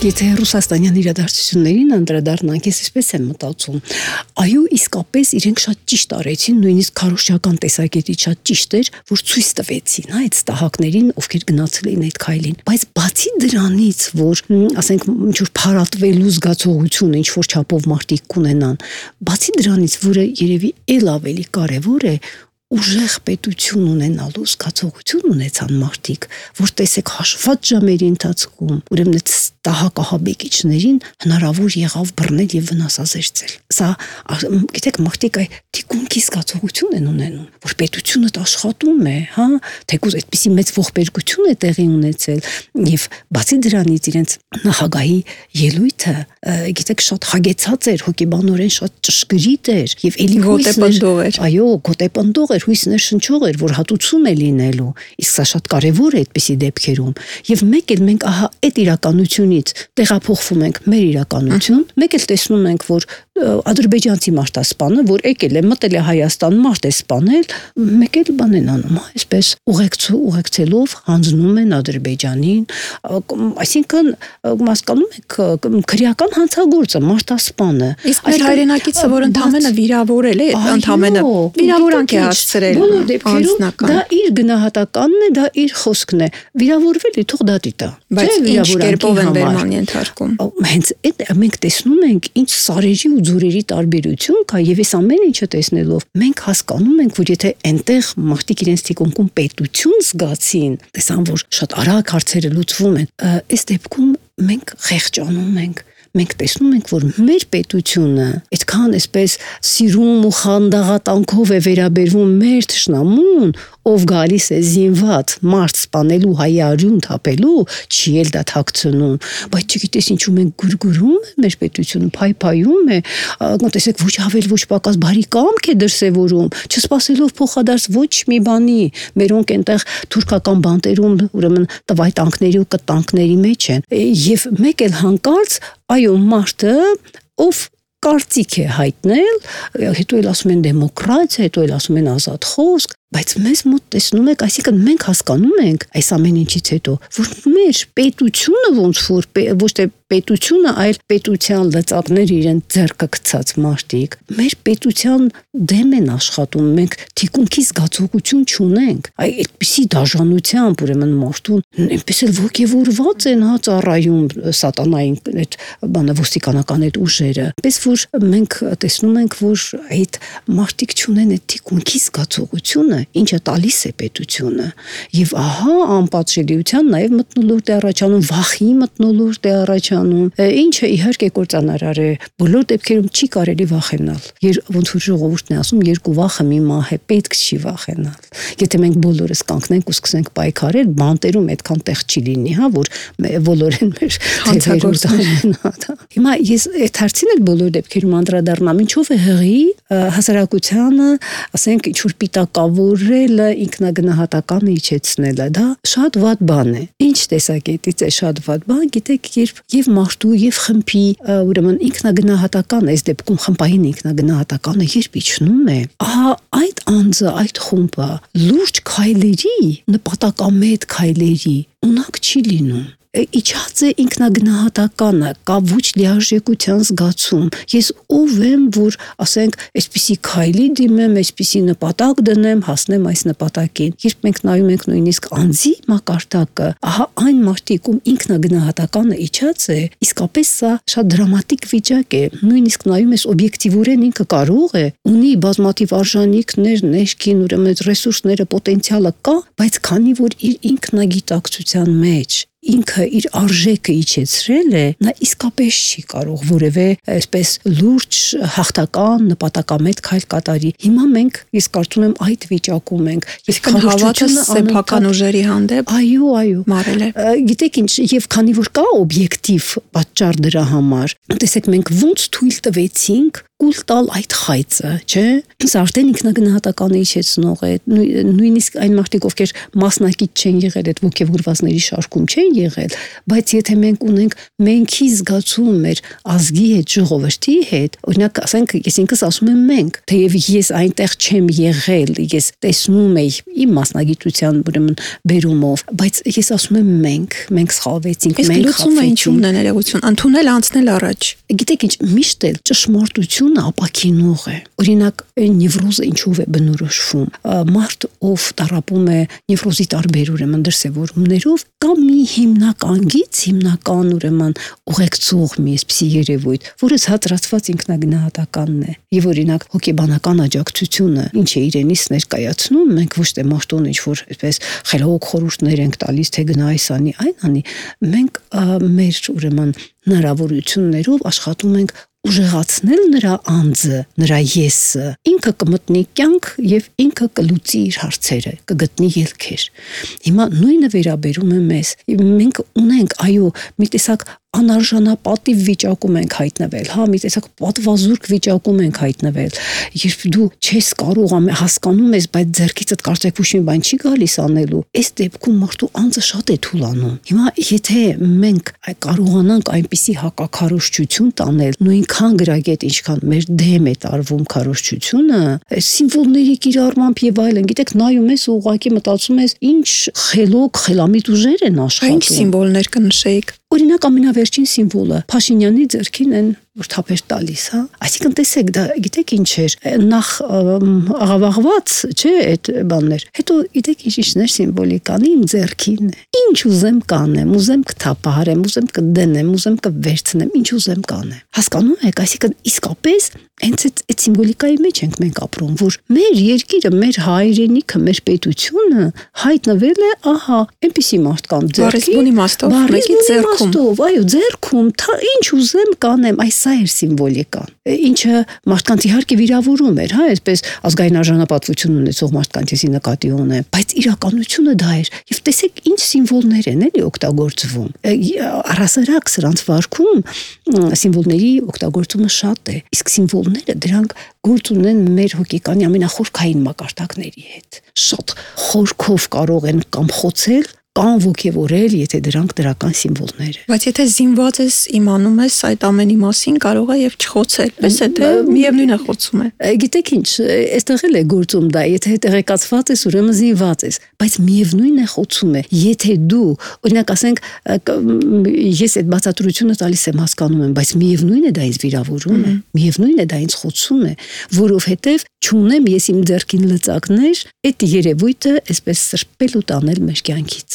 Եթե ռուսաստանյան իրադարձություններին անդրադառնանք, ես այսպես եմ մտածում, այո, իսկապես իրենք շատ ճիշտ արեցին, նույնիսկ քարոզչական տեսակետից շատ ճիշտ էր, որ ցույց տվեցին, այդ ստահակներին, ովքեր գնացել էին այդ քայլին։ Բայց բացի դրանից, որ ասենք ինչ-որ փարատվելու զգացողություն ինչ-որ չափով մարդիկ կունենան, բացի դրանից, որը երևի ել ավելի կարևոր է, ուժեղ պետություն ունենալու զգացողություն ունեցան մարդիկ, որ տեսեք հաշված ժամերի ընթացքում, ուրեմն այդ ստահակահաբեկիչներին հնարավոր եղավ բռնել եւ վնասազերծել։ Սա, գիտեք, մարդիկ այդ թիկունքի զգացողություն են ունենում, որ պետությունը աշխատում է, հա, թեկուզ այդպիսի մեծ ողբերգություն է տեղի ունեցել եւ բացի դրանից իրենց նախագահի ելույթը, գիտեք, շատ հագեցած էր, հոգեբանորեն շատ ճշգրիտ էր եւ էլի գոտեպնդող էր։ Այո, գոտեպնդող էր, հույսներ շնչող էր, որ հատուցում է լինելու։ Իսկ սա շատ կարևոր է այդպիսի դեպքերում։ Եվ մեկ էլ մենք ահա այդ իրականությունից տեղափոխվում ենք մեր իրականություն, մեկ էլ տեսնում ենք, որ ադրբեջանցի մարտասպանը, որ եկել է, մտել է Հայաստան, մարդ է սպանել, մեկ էլ բան են անում, այսպես ուղեկցելով հանձնում են Ադրբեջանին, այսինքն հասկանում եք, քրեական հանցագործը, մարտասպանը։ Իսկ մեր հայրենակիցը, որ ընդամենը վիրավորել է, ընդամենը վիրավորանք է հասցրել, բոլոր դեպքերում դա իր գնահատականն է, դա իր խոսքն է, վիրավորվել է, թող դատի տա։ Բայց ինչ կերպով են վերման ենթարկում։ Հենց այդ մենք տեսնում ենք, ինչ սարերի ու ձորերի տարբերություն կա, եւ այս ամեն ինչը տեսնելով մենք հասկանում ենք, որ եթե այնտեղ մարդիկ իրենց թիկունքում պետություն զգացին, տեսան, որ շատ արագ հարցերը լուծվում են, այս դեպքում մենք խեղճանում ենք։ Մենք տեսնում ենք, որ մեր պետությունը այդքան այսպես սիրում ու խանդաղատանքով է վերաբերվում մեր թշնամուն, ով գալիս է զինված մարդ սպանելու, հայի արյուն թափելու, չի էլ դա թաքցնում, բայց չգիտես ինչու մենք գուրգուրում է մեր պետությունը, փայփայում է, տեսեք ոչ ավել ոչ պակաս բարի կամք է դրսևորում, չսպասելով փոխադարձ ոչ մի բանի, մերոնք այնտեղ թուրքական բանտերում, ուրեմն տվայտանքների ու կտանքների մեջ են, եւ մեկ էլ հանկարծ այո մարդը, ով կարծիք է հայտնել, հետո էլ ասում են դեմոկրատիա, հետո էլ ասում են ազատ խոսք, բայց մեզ մոտ տեսնում եք, այսինքն մենք հասկանում ենք այս ամեն ինչից հետո, որ մեր պետությունը ոնց որ ոչ թե պետությունը, այլ պետության լծակներ իրեն ձեռքը գցած մարդիկ, մեր պետության դեմ են աշխատում, մենք թիկունքի զգացողություն չունենք, այդպիսի դաժանությամբ ուրեմն մարդուն այնպես էլ ոգևորված են հա ծառայում սատանային այդ բանը ոստիկանական այդ ուժերը, պես որ մենք տեսնում ենք, որ այդ մարդիկ չունեն այդ թիկունքի զգացողությունը, ինչը տալիս է պետությունը եւ ահա անպատժելիության նաեւ մթնոլորտ է առաջանում, վախի մթնոլորտ է առաջանում, ինչը իհարկե կործանարար է, բոլոր դեպքերում չի կարելի վախենալ, ոնց որ ժողովուրդն է ասում, երկու վախը մի մահ է, պետք չի վախենալ, եթե մենք բոլորս կանգնենք ու սկսենք պայքարել, բանտերում այդքան տեղ չի լինի, հա, որ բոլորեն մեր հանցագործներ։ Հիմա ես այդ հարցին էլ բոլոր դեպքերում անդրադառնամ, ինչով է հղի հասարակությանը, ասենք ինչ որ պիտակավորելը, ինքնագնահատականը իջեցնելը, դա շատ վատ բան է։ Ինչ տեսակետից է շատ վատ բան, գիտեք, երբ եւ մարդու եւ խմբի ուրեմն ինքնագնահատական, այս դեպքում խմբային ինքնագնահատականը երբ իջնում է, ահա այդ անձը, այդ խումբը լուրջ քայլերի, նպատակամետ քայլերի ունակ չի լինում։ Իջած է ինքնագնահատականը, կա ոչ լիարժեքության զգացում։ Ես ով եմ, որ ասենք, այսպիսի քայլի դիմեմ, այսպիսի նպատակ դնեմ, հասնեմ այս նպատակին։ Երբ մենք նայում ենք նույնիսկ անձի մակարդակը, ահա այն մարդիկ, ում ինքնագնահատականը իջած է, իսկապես սա շատ դրամատիկ վիճակ է։ Նույնիսկ նայում ես օբյեկտիվորեն ինքը կարող է, ունի բազմաթիվ արժանինքներ, ներքին ուրեմն ռեսուրսները, պոտենցիալը կա, բայց քանի որ իր ինքնագիտակցության մեջ ինքը իր արժեքը իջեցրել է, նա իսկապես չի կարող որևէ այսպես լուրջ հաղթական նպատակամետ քայլ կատարի։ Հիմա մենք, ես կարծում եմ, այդ վիճակում ենք։ Իսկ հավատը սեփական ուժերի հանդեպ այո, մարել է։ Գիտեք ինչ, եւ քանի որ կա օբյեկտիվ պատճառ դրա համար, տեսեք մենք ոնց թույլ տվեցինք կուլ տալ այդ խայծը, չէ՞։ Սա արդեն ինքնագնահատականը իջեցնող է, նույնիսկ այն մարդիկ, ովքեր մասնակից չեն եղել այդ ոգևորվածների շարքում չեն եղել, բայց եթե մենք ունենք մենքի զգացում մեր ազգի հետ, ժողովրդի հետ, օրինակ ասենք, ես ինքս ասում եմ մենք, թեև ես այնտեղ չեմ եղել, ես տեսնում եի իմ մասնագիտության ուրեմն բերումով, բայց ես ասում եմ մենք սխալվեցինք, մենք լուծումը ինչու՞մն է ներողություն, ընդունել անցնել առաջ։ Գիտեք ինչ, միշտ էլ ճշմարտությունը ապակինող է։ Օրինակ, նևրոզը ինչով է բնորոշվում։ Մարդ, ով տառապում է նևրոզի տարբեր ուրեմն դրսևորումներով, կամ մի հիմնական ուրեմն ուղեկցող մի այսպիսի երևույթ, որը հատրացված ինքնագնահատականն է։ Եվ օրինակ հոգեբանական աջակցությունը ինչ է իրենից ներկայացնում, մենք ոչ թե մարդուն ինչ-որ այսպես խելոք խորհուրդներ ենք տալիս, թե գնա այս անի, այն անի, մենք մեր ուրեմն հնարավորություններով աշխատում ենք ուժեղացնել նրա անձը, նրա եսը, ինքը կմտնի կյանք եւ ինքը կլուծի իր հարցերը, կգտնի ելքեր։ Հիմա նույնը վերաբերում է մեզ։ Մենք ունենք, այո, մի տեսակ անարժանապատիվ վիճակում ենք հայտնվել, հա, մի տեսակ պատվազուրկ վիճակում ենք հայտնվել, երբ դու չես կարող հասկանում ես, բայց ձեռքիցդ կարծեք ոչ մի բան չի գալիս անելու, այս դեպքում մարդու անձը շատ է թուլանում։ Հիմա եթե մենք կարողանանք այնպիսի հակաքարոզչություն տանել, նույնքան գրագետ, ինչքան մեր դեմ է տարվում քարոզչությունը, սիմվոլների կիրառմամբ եւ այլն, գիտեք, նայում ես ու ուղղակի մտածում ես, ինչ խելոք, խելամիտ ուժեր են աշխատում։ Ինչ սիմվոլներ կնշեիք։ Օրինակ ամենավերջին սիմվոլը Փաշինյանի ձեռքին են որ թափեր տալիս, հա։ Այսինքն տեսեք, դա գիտեք ինչ էր, նախ աղավաղված, չէ, այդ բաններ։ Հետո գիտեք ինչ-ինչներ սիմվոլիկան իմ ձեռքին է։ Ինչ ուզեմ կանեմ, ուզեմ կթափահարեմ, ուզեմ կդնեմ, ուզեմ կվերցնեմ, ինչ ուզեմ կանեմ։ Հասկանում եք, այսինքն իսկապես հենց այդ սիմվոլիկայի մեջ ենք մենք ապրում, որ մեր երկիրը, մեր հայրենիքը, մեր պետությունը հայտնվել է, ահա, այնպիսի մարդկանց ձեռքին, մեկի ձեռքում, այո, ձեռքում, ինչ ուզեմ կանեմ, այս սա էր սիմվոլիկան, ինչը մարդկանց իհարկե վիրավորում էր, հա, այսպես ազգային արժանապատվություն ունեցող մարդկանց էսի նկատի ունեմ, բայց իրականությունը դա էր, եւ տեսեք ինչ սիմվոլներ են էլի օգտագործվում։ Առհասարակ սրանց վարքում սիմվոլների օգտագործումը շատ է, իսկ սիմվոլները դրանք գործ ունեն մեր հոգեկանի ամենախորքային մակարդակների հետ։ Շատ խորքով կարող են կամ խոցել կամ ոգևորել, եթե դրանք դրական սիմվոլներ են։ Բայց եթե զինված ես, իմանում ես այդ ամենի մասին, կարող է եւ չխոցել, պես է թե միևնույն է խոցում է։ Գիտեք ինչ, այստեղ էլ է գործում դա, եթե տեղեկացված ես, ուրեմն զինված ես, բայց միևնույն է խոցում է։ Եթե դու, օրինակ ասենք, ես այդ բացատրությունը տալիս եմ, հասկանում եմ, բայց միևնույն է դա ինձ վիրավորում է, միևնույն է դա ինձ խոցում է, որովհետեւ չունեմ ես իմ ձեռքին լծակներ, այդ երևույթը այսպես սրբել ու տանել մեր կյանքից։